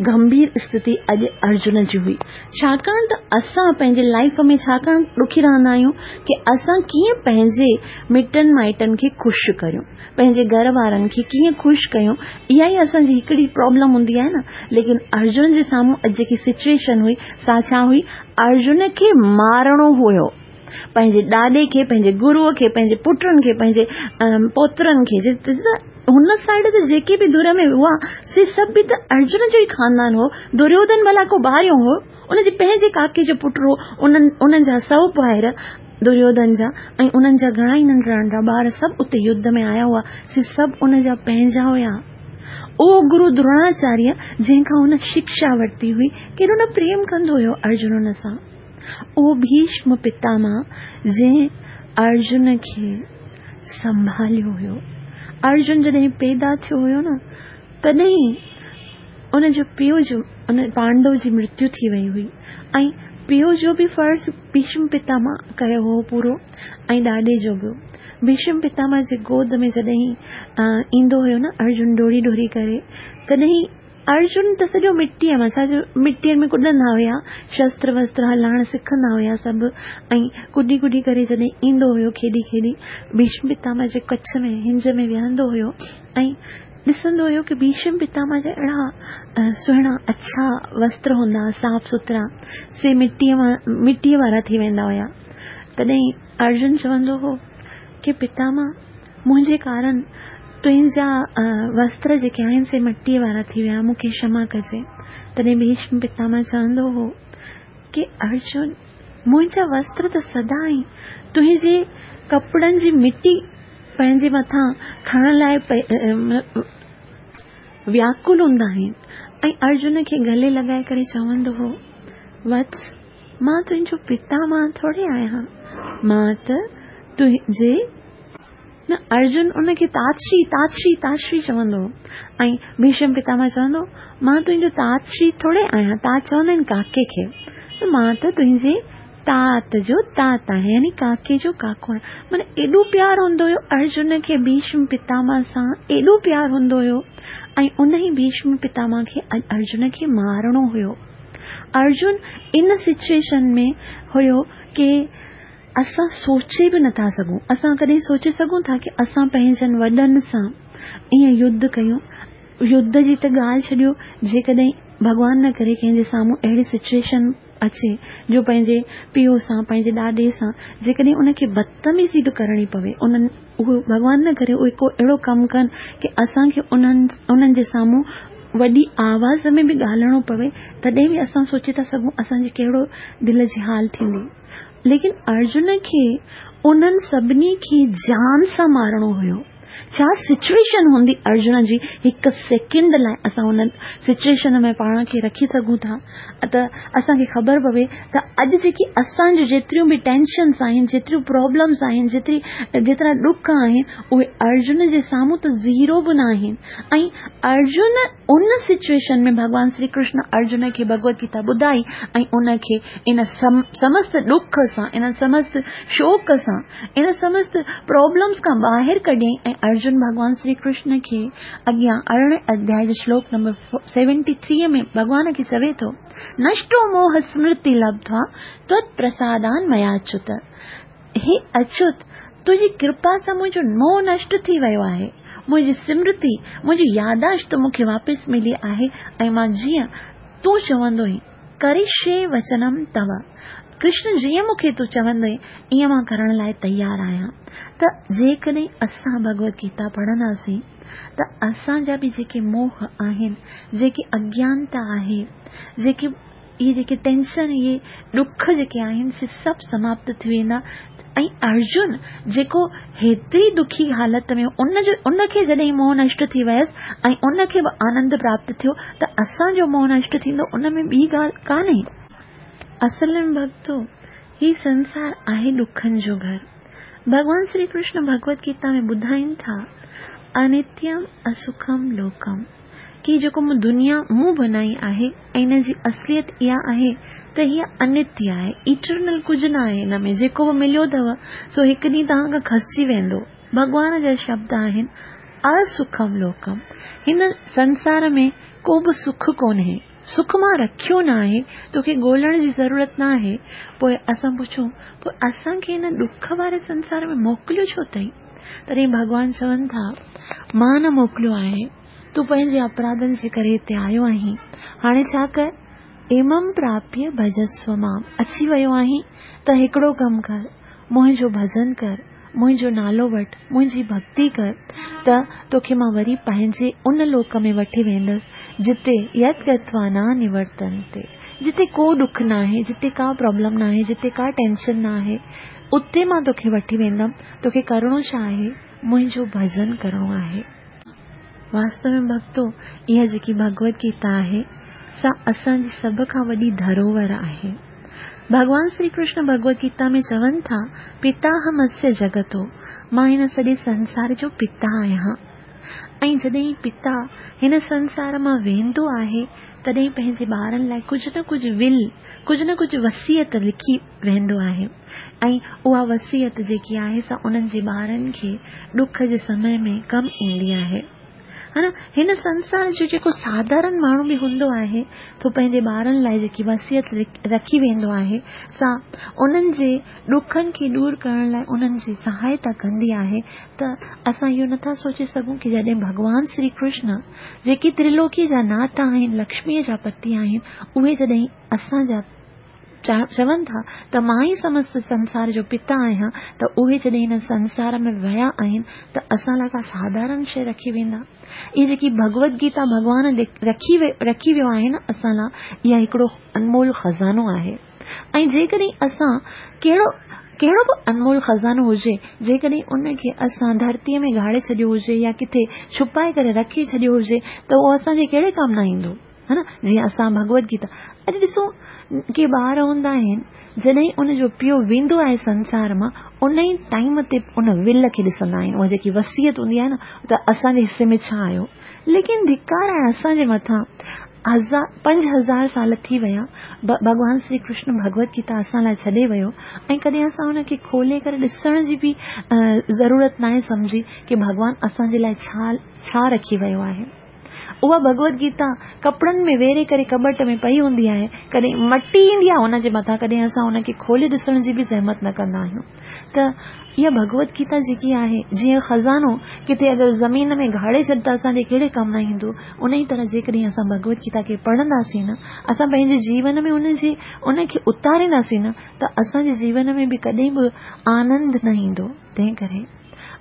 گنڀير اسٿتي اڄ ارجن جي هئي. ڇاڪاڻ ته اسان پنهنجي لائيف ۾ ڇاڪاڻ ڏکي رهندا آهيون ڪه اسان ڪيئن پنهنجي مٽن مائٽن کي خوش ڪريون، پنهنجي گهر وارن کي ڪيئن خوش ڪيون، اها ئي اسان جي هڪڙي پرابلم هوندي آهي نه. ليڪن ارجن جي سامهون اڄ جيڪي سچوئيشن هئي سا ڇا هئي؟ ارجن کي مارڻو هيو، پنهنجي ڏاڏي کي، پنهنجي گروء کي، پنهنجي پٽن کي، پنهنجي پوترن کي. هن سائيڊ تي جيڪي به ڌر ۾ هئا سي سڀ به ته ارجن جو ئي خاندان هو. دريوڌن ڀلا ڪو ٻاهريون هو، ان جي پنهنجي ڪاڪي جو پٽ هو. انهن انهن جا سؤ ڀائر دريوڌن جا ۽ انهن جا گهڻا ئي ننڍڙا ننڍڙا ٻار سڀ اتي يڌ ۾ آيا هئا، سي سڀ ان جا پنهنجا هيا. اهو گرو دروناچاريه جنهن کان هن شڪشا ورتي هئي، ڪيڏو نه پريم ڪندو هيو ارجن ان سان. اهو ڀيشم پتامهه جنهن ارجن کي سنڀاليو هيو. ارجن جڏهن پيدا ٿيو هيو نه، تڏهن ان جو پيءُ جو ان پانڊو جي مرتيو ٿي وئي هئي ۽ پيءُ جو به فرض ڀيشم پتامهه ڪيو هو پورو ۽ ڏاڏي جو به. ڀيشم پتامهه جي گود ۾ جڏهن ايندو هيو نه ارجن ڊوڙي ڊوڙي ڪري، تڏهن ارجن ته سڄو مٽيءَ مان، ڇا جو مٽيءَ ۾ ڪڏندا هئا، شستر وستر هلائڻ سکندا هئا سڀ، ۽ ڪڏي ڪڏي ڪري جڏهن ايندو هيو کيڏي کيڏي ڀيشم پتامهه جي ڪڇ ۾ هنج ۾ ويهندو هيو ۽ ڏسندو هيو ڪه ڀيشم پتامهه جا اهڙا سهڻا اڇا وستر هوندا، صاف سٿرا، سي مٽيءَ مان مٽيءَ وارا ٿي ويندا هئا. تڏهن ارجن چوندو هو ڪه پتامهه منهنجي ڪارڻ تنهنجا وستر جيڪي آهن سي مٽيءَ وارا ٿي ويا، مون کي ڪشما ڪجي. تڏهن ڀيشم پتامهه چوندو هو ڪه ارجن منهنجا وستر ته سدا ئي تنهنجي ڪپڙن جي مٽي پنهنجي مٿان کڻڻ لاءِ وياڪل هوندا آهن. ۽ ارجن کي گلي لڳائي ڪري چوندو هو، وتس مان تنهنجو پتامهه ٿوري آهيان، مان ته تنهنجي نه. ارجن ان کي تاتشري تاتشري تاتشري چوندو هو ۽ ڀيشم پتامهه چوندو، مان تنهنجو تاتشري ٿوري آهيان. تات چوندا آهن ڪاڪي کي، مان ته تنهنجي تات جو تات آهيان، يعني ڪاڪي جو ڪاڪو آهيان. معنيٰ ايڏو پيار هوندو هيو ارجن کي ڀيشم پتامهه سان، ايڏو پيار هوندو هيو. ۽ ان ئي ڀيشم پتامهه کي اڄ ارجن کي مارڻو هيو. ارجن ان سچوئيشن ۾ هيو ڪه اسان سوچي به نٿا سگهون. اسان ڪڏهن سوچي سگهون ٿا ڪه اسان پنهنجن وڏن سان ائين يڌ ڪيون؟ يڌ جي ته ڳالهه ڇڏيو، جيڪڏهن ڀڳوان نه ڪري ڪنهن جي سامهون اهڙي سچوئيشن اچي جو پنهنجي پيءُ سان پنهنجي ڏاڏي سان جيڪڏهن ان کي بدتميزي به ڪرڻي پوي، انهن اهو ڀڳوان نه ڪري اهي ڪو اهڙو ڪم ڪن ڪه اسان کي انهن انهن جي سامهون وڏي آواز ۾ به ڳالهائڻو پوي، تڏهن به اسان سوچي ٿا سگهون اسان جي ڪهڙو دل جي حال ٿيندي. ليڪن ارجن کي انهن سڀني کي جان سان مارڻو هيو. ڇا سچوئيشن هوندي ارجن جي؟ هڪ سيڪنڊ لاءِ اسان ان سچوئيشن ۾ پاڻ کي رکي سگهون ٿا ته اسان کي خبر پوي ته اڄ جيڪي اسان جون جيتريون به ٽينشنس آهن، جيتريون پرابلمس آهن، جيتري جيترا ڏک آهن، اهي ارجن جي سامهون ته زيرو به نه آهن. ۽ ارجن ان سچوئيشن ۾ ڀڳوان شري ڪرشن ارجن کي ڀڳوت گيتا ٻڌائي ۽ ان کي ان سمست ڏک سان، ان سمست شوڪ سان، ان سمست پرابلمس کان ٻاهر ڪڍيائين. ۽ ارجن ڀڳوان شري ڪرشن کي اڳيان ارڙهين اڌياءِ جو شلوڪ نمبر سيونٽي ٿري ۾ ڀڳوان کي چوي ٿو، نشٽو موهه سمرتي لبڌوا توت پرسادان ميا اچت. هي اچت، تنهنجي ڪرپا سان منهنجو موهه نشٽ ٿي ويو آهي، منهنجي سمرتي، منهنجي ياداشت مون کي واپس ملي آهي ۽ مان جيئن تون چوندو آهين، ڪرشي وچنم تو، ڪرشن جيئن مون کي تون چوندو آهين ائين مان ڪرڻ لاءِ تيار آهيان. ته جيڪڏهن اسان ڀڳوت گيتا پڙهنداسين ته اسان جا به جيڪي موهه آهن، جيڪي اگيانتا آهي، جيڪي اهي جيڪي ٽينشن، اهي ڏک جيڪي آهن سي سڀ سماپت ٿي ويندا. ۽ ارجن جيڪو هيتري دکي حالت ۾ ان جو ان کي جڏهن موهه نشٽ ٿي ويس ۽ ان کي به آنند پراپت ٿيو ته اسان جو موهه نشٽ ٿيندو، ان ۾ ٻي ڳالهه ڪانهي. اصل ۾ ڀڳتو هي سنسار آهي ڏکن جو گهر. ڀڳوان شري ڪرشن ڀڳوت گيتا ۾ ٻڌائين ٿا، انتيم اسکم لوڪم، ڪه جيڪو مون دنيا مون بنائي آهي ۽ ان جي اصليت اها آهي ته هيءَ انتيه آهي، ايٽرنل ڪجهه نه آهي. هن ۾ جيڪو به مليو اٿو سو هڪ ڏينهن توهان کان کسجي ويندو. ڀڳوان جا شبد آهن، اسکم لوڪم، هن سنسار ۾ ڪو به سک ڪونهي، سک مان رکيو ناهي، توکي ڳولڻ جي ضرورت ناهي. پوءِ اسان پڇون، پوءِ اسان کي هن ڏک واري سنسار ۾ موڪليو ڇو اٿئي؟ تڏهن ڀڳوان چون ٿا، مان نه موڪليو آهي، تون پنهنجي اپراڌن جي ڪري هتي آيو آهين، هاڻي ڇا ڪر، ايمم پراپيه ڀجسو مام، اچي ويو آهين ته هڪڙو ڪم ڪر، منهنجو ڀڄن ڪر، منهنجو نالو وٺ، منهنجي ڀڳتي ڪر، ته توکي مان وري پنهنجي ان لوڪ ۾ وٺي ويندس جتي يت گتوا نه نورتنتي، جتي ڪو ڏک ناهي، جتي ڪا پرابلم ناهي، جتي ڪا ٽينشن ناهي، اتي مان توکي وٺي ويندم. توکي ڪرڻو ڇا آهي؟ منهنجو ڀڄن ڪرڻو آهي. واستو ۾ ڀڳتو، اها جيڪي ڀڳوت گيتا آهي سا اسان جي سڀ کان وڏي ڌروهر آهي. ڀڳوان شري ڪرشن ڀڳوت گيتا ۾ چون ٿا، پتاهمسيه جڳتو، مان هن سڄي سنسار جو پتا آهيان. ۽ جڏهن پتا هن سنسار مان ويندو آهي تڏهن پنهنجي ٻارن لاءِ ڪجهه نه ڪجهه ول، ڪجهه نه ڪجهه وصيت لکي ويندو آهي ۽ اها وصيت جيڪي آهي سا انهن جي ٻارن کي ڏک جي سمي ۾ ڪم ايندي آهي. ها نه، هن سنسار جو جيڪو ساڌارڻ ماڻهو به هوندو آهي ته پنهنجي ٻارن لاءِ جيڪي وصيت رکي ويندو آهي سا انهن جي ڏکن کي دور ڪرڻ لاءِ انهن جي سهائتا ڪندي آهي. ته اسان اهو نٿا سوچي سگهون ڪه جڏهن ڀڳوان شري ڪرشن جيڪي ترلوڪي جا ناٿ آهن، لڪشميءَ جا پتي آهن، اهي جڏهن اسان جا چون ٿا ته مان ئي سمست سنسار جو پتا آهيان، ته اهي جڏهن هن سنسار ۾ ويا آهن ته اسان لاءِ ڪا ساڌارڻ شيءِ رکي ويندا؟ اها جيڪي ڀڳوت گيتا ڀڳوان رکي رکي ويو آهي نه اسان لاءِ، اها هڪڙو انمول خزانو آهي. ۽ جيڪڏهن اسان ڪهڙو ڪهڙو به انمول خزانو هجي، جيڪڏهن ان کي اسان ڌرتيءَ ۾ گاڙي ڇڏيو هجي يا ڪٿي ڇپائي ڪري رکي ڇڏيو هجي ته اهو اسان جي ڪهڙي ڪم نه ايندو، ها نه. جيئن اسان ڀڳوت گيتا اڄ ڏسون ڪي ٻار هوندا آهن، جڏهن ان جو پيءُ ويندو آهي سنسار مان، ان ئي ٽائيم تي ان ول کي ڏسندا آهن، اها جيڪي وصيت هوندي آهي نه ته اسان جي حصي ۾ ڇا آيو. ليڪن ڌڪار آهي اسان جي مٿان، هزار پنج هزار سال ٿي ويا، ڀڳوان شري ڪرشن ڀڳوت گيتا اسان لاءِ ڇڏي ويو ۽ ڪڏهن اسان ان کي کولي ڪري ڏسڻ جي به ضرورت ناهي سمجهي ڪه ڀڳوان اسان جي لاءِ ڇا ڇا رکي ويو آهي. اها ڀڳوت گيتا ڪپڙن ۾ ويڙهي ڪري ڪٻٽ ۾ پئي هوندي آهي، ڪڏهن مٽي ايندي آهي هن جي مٿان، ڪڏهن اسان هن کي کولي ڏسڻ جي به زحمت نه ڪندا آهيون. ته اها ڀڳوت گيتا جيڪي آهي، جيئن خزانو ڪٿي اگر زمين ۾ گاڙي ڇڏ ته اسان جي ڪهڙي ڪم نه ايندو، ان ئي طرح جيڪڏهن اسان ڀڳوت گيتا کي پڙهنداسين نه، اسان پنهنجي جيون ۾ ان جي ان کي اتارينداسين نه، ته اسان جي جيون ۾ به ڪڏهن به آنند نه ايندو. تنهن ڪري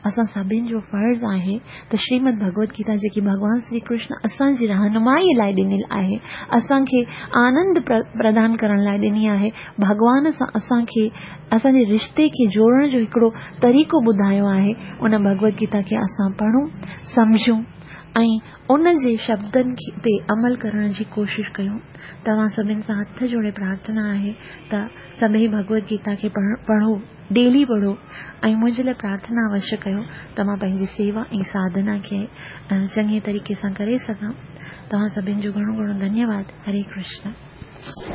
اسان سڀني جو فرض آهي ته شريمد ڀڳوت گيتا جيڪي ڀڳوان شري ڪرشن اسان جي رهنمائي لاءِ ڏنل آهي، اسان کي آنند پردان ڪرڻ لاءِ ڏني آهي، ڀڳوان سان اسان کي اسان جي رشتي کي جوڙڻ جو هڪڙو طريقو ٻڌايو آهي، ان ڀڳوت گيتا کي اسان پڙهون، سمجهون ۽ ان جي شبدن تي عمل ڪرڻ جي ڪوشش ڪيون. توهان سڀني سان هٿ جوڙي پرارٿنا آهي ته سڀئي ڀڳوت گيتا کي پڙهو، ڊيلي پڙهو ۽ منهنجي لاءِ پرارٿنا اوشيه ڪيو ته مان پنهنجي سيوا ۽ ساڌنا کي چڱي طريقي سان ڪري سگهان. توهان سڀني جو گهڻو گهڻو ڌنيواد. هري ڪرشن.